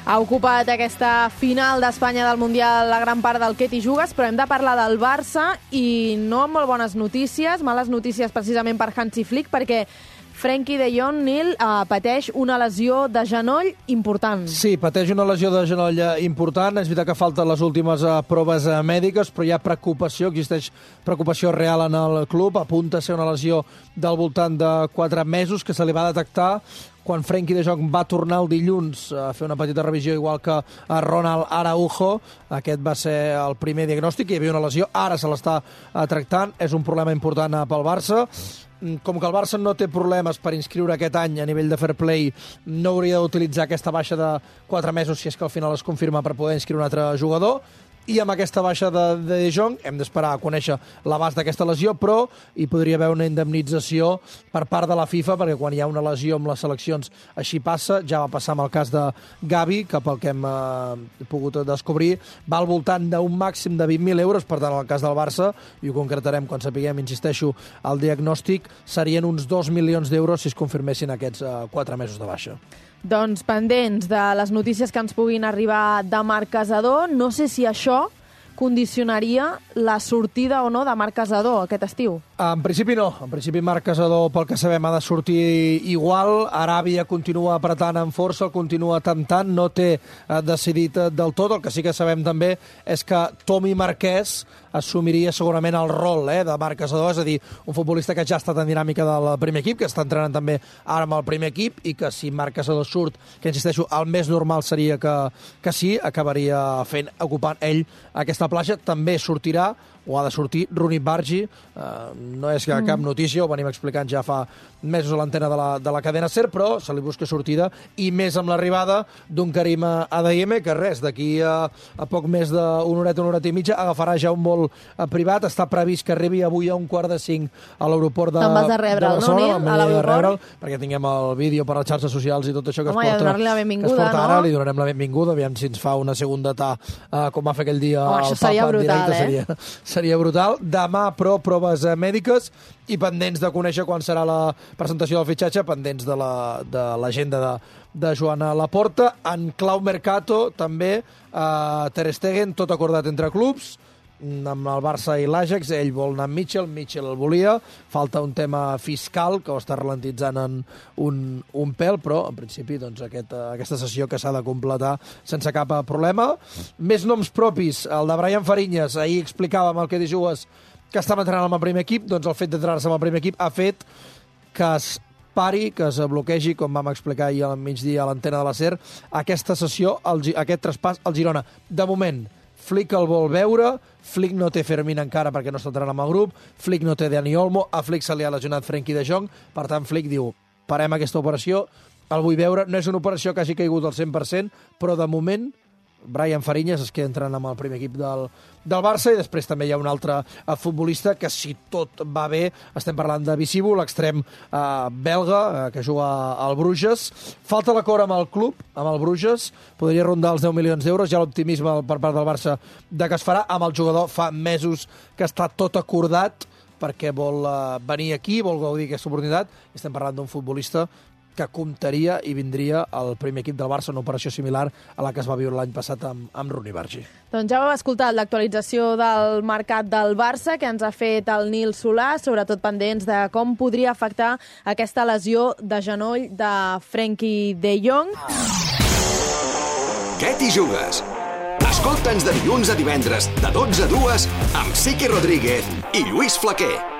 Ha ocupat aquesta final d'Espanya del Mundial la gran part del què t'hi jugues, però hem de parlar del Barça i no amb molt bones notícies, males notícies precisament per Hansi Flick, perquè Frenkie de Jong, Nil, pateix una lesió de genoll important. Sí, pateix una lesió de genoll important. És veritat que falten les últimes proves mèdiques, però hi ha preocupació, existeix preocupació real en el club. Apunta a ser una lesió del voltant de 4 mesos que se li va detectar quan Frenkie de Jong va tornar el dilluns a fer una petita revisió, igual que a Ronald Araujo. Aquest va ser el primer diagnòstic, hi havia una lesió, ara se l'està tractant. És un problema important pel Barça. Com que el Barça no té problemes per inscriure aquest any a nivell de fair play, no hauria d'utilitzar aquesta baixa de 4 mesos si és que al final es confirma per poder inscriure un altre jugador. I amb aquesta baixa de Jong hem d'esperar a conèixer l'abast d'aquesta lesió, però hi podria haver una indemnització per part de la FIFA, perquè quan hi ha una lesió amb les seleccions així passa. Ja va passar amb el cas de Gavi, que pel que hem pogut descobrir va al voltant d'un màxim de 20.000 euros. Per tant, en el cas del Barça, i ho concretarem quan sapiguem, insisteixo, el diagnòstic, serien uns 2 milions d'euros si es confirmessin aquests 4 mesos de baixa. Doncs pendents de les notícies que ens puguin arribar de Marc Casador. No sé si això condicionaria la sortida o no de Marc Casador aquest estiu. En principi no. En principi Marc Casador, pel que sabem, ha de sortir igual. Aràbia continua apretant amb força, el continua temptant, no té decidit del tot. El que sí que sabem també és que Tomi Marquès assumiria segurament el rol de Marc Casador, és a dir, un futbolista que ja ha estat en dinàmica del primer equip, que està entrenant també ara amb el primer equip, i que si Marc Casador surt, que insisteixo, el més normal seria que sí, acabaria ocupant ell aquesta plaça. També sortirà, o ha de sortir, Rooney Bargi. No és cap notícia, ho venim explicant ja fa mesos a l'antena de la cadena SER, però se li busca sortida, i més amb l'arribada d'un Karim Adeyemi, que res, d'aquí a poc més d'una horeta i mitja agafarà ja un vol privat. Està previst que arribi avui a 4:45 a l'aeroport de Barcelona. Te'n vas a rebre'l, no, Nil? A l'aeroport? Perquè tinguem el vídeo per les xarxes socials i tot això que Home, es donar-li la benvinguda, no? Ara, li donarem la benvinguda, aviam si ens fa una segunda com va fer aquell dia el Papa en directe. Seria brutal. Demà, però, proves mèdiques i pendents de conèixer quan serà la presentació del fitxatge, pendents de l'agenda de Joan Laporta. En clau mercato, també, Ter Stegen, tot acordat entre clubs, amb el Barça i l'Ajax. Ell vol anar amb Mitchell el volia. Falta un tema fiscal que ho està ralentitzant en un pèl, però en principi doncs, aquesta sessió que s'ha de completar sense cap problema. Més noms propis, el de Brian Fariñas. Ahir explicàvem el que dijugues que estava entrenant amb el primer equip. Doncs el fet d'entrenar-se amb el primer equip ha fet que es pari, que es bloquegi, com vam explicar ahir al migdia a l'antena de la SER, aquesta sessió, aquest traspàs al Girona. De moment, Flick el vol veure, Flick no té Fermín encara perquè no està entrant amb el grup, Flick no té Dani Olmo, a Flick se li ha lesionat Frenkie de Jong, per tant Flick diu, parem aquesta operació, el vull veure. No és una operació que hagi caigut al 100%, però de moment Brian Fariñas es queda entrant amb el primer equip del Barça, i després també hi ha un altre futbolista que, si tot va bé, estem parlant de Visivo, l'extrem belga, que juga al Bruges. Falta l'acord amb el club, amb el Bruges, podria rondar els 10 milions d'euros, ja l'optimisme per part del Barça de que es farà. Amb el jugador fa mesos que està tot acordat perquè vol venir aquí, vol gaudir aquesta oportunitat. Estem parlant d'un futbolista que comptaria i vindria al primer equip del Barça, una operació similar a la que es va viure l'any passat amb Rooney Bargi. Doncs ja heu escoltat l'actualització del mercat del Barça que ens ha fet el Nil Solà, sobretot pendents de com podria afectar aquesta lesió de genoll de Frenkie de Jong. Què t'hi jugues? Escolta'ns de dilluns a divendres, de 12 a 2, amb Siqui Rodríguez i Lluís Flaquer.